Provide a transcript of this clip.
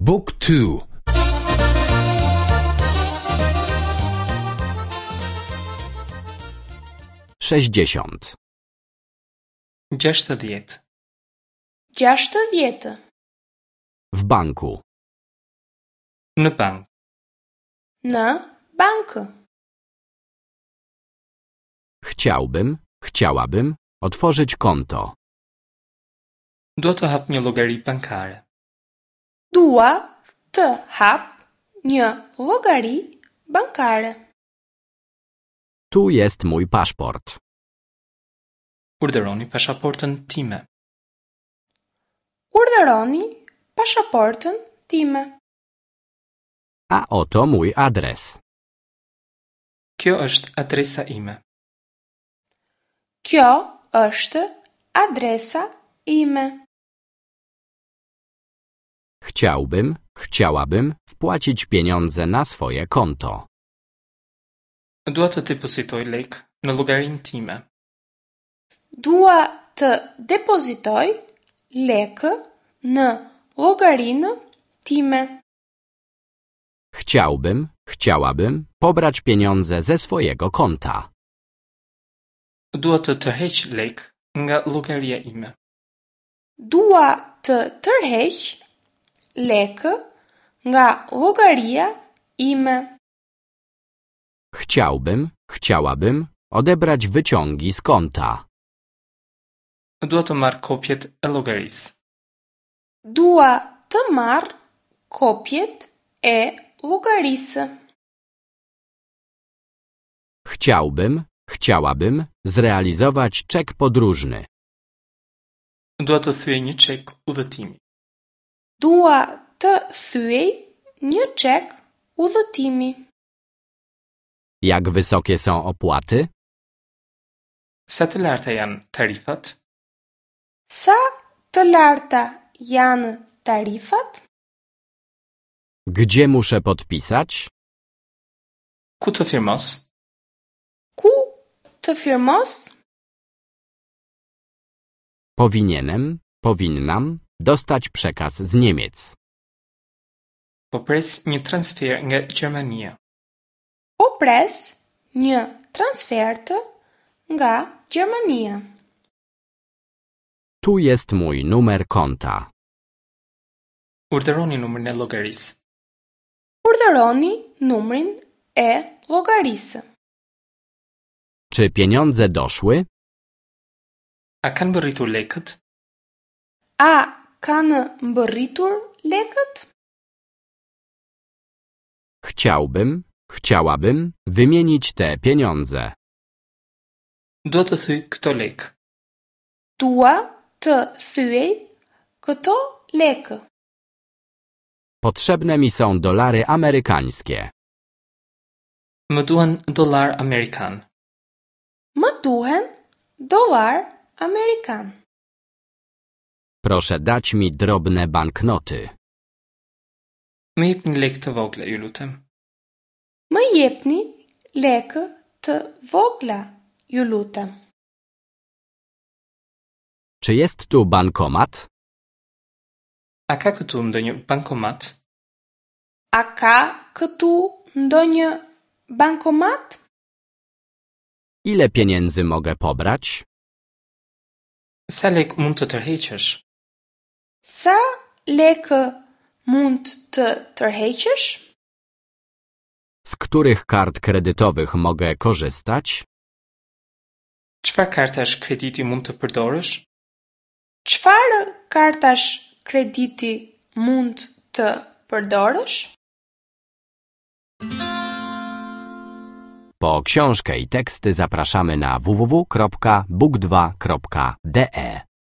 Book 2 60. 60. 60. W banku. Në bank. Në bankë. Chciałbym, chciałabym otworzyć konto. Dua të hap një llogari bankare. Dua të hap një llogari bankare. Tu jest mój paszport. Urdhëroni pasaportën time. Urdhëroni pasaportën time. A oto mój adres. Kjo është adresa ime. Kjo është adresa ime. Chciałbym, chciałabym wpłacić pieniądze na swoje konto. Dua të depozitoj lek në llogarinë time. Dua të depozitoj lekë në llogarinë time. Chciałbym, chciałabym pobrać pieniądze ze swojego konta. Dua të tërheq lek nga llogaria ime. Dua të tërheq lekë nga llogaria ime. Chciałbym, chciałabym odebrać wyciągi z konta. Dua të marr kopjet e llogarisë. Dua të marr kopjet e llogarisë. Chciałbym, chciałabym zrealizować czek podróżny. Dua të thyej një çek udhëtimi. Dua të thyej një çek udhëtimi. Jak wysokie są opłaty? Sa të larta janë tarifat? Sa të larta janë tarifat? Gdzie muszę podpisać? Ku të firmos? Ku të firmos? Powinienem, powinnam dostać przekaz z Niemiec. Po pres një transfer nga Gjermania. Po pres një transfertë nga Gjermania. Tu jest mój numer konta. Urdhëroni numrin e llogarisë. Urdhëroni numrin e llogarisë. Czy pieniądze doszły? A kanë mbërritur lekët? A kanë mbërritur lekët? Chciałbym, chciałabym wymienić te pieniądze. Dua të thyej këto lekë. Dua të thyej këto lekë. Potrzebne mi są dolary amerykańskie. Më duhen dollar amerikan. Më duhen dollar amerikan. Proszę dać mi drobne banknoty. Më jepni lekë të vogla, ju lutem. Më jepni lekë të vogla, ju lutem. Czy jest tu bankomat? A ka këtu ndonjë bankomat? A ka këtu ndonjë bankomat? Ile pieniędzy mogę pobrać? Sa lek mund të tërheqësh? Sa lekë mund të tërheqësh? Z których kart kredytowych mogę korzystać? Çfarë kartash krediti mund të përdorësh? Çfarë kartash krediti mund të përdorësh? Po książkę i teksty zapraszamy na www.book2.de.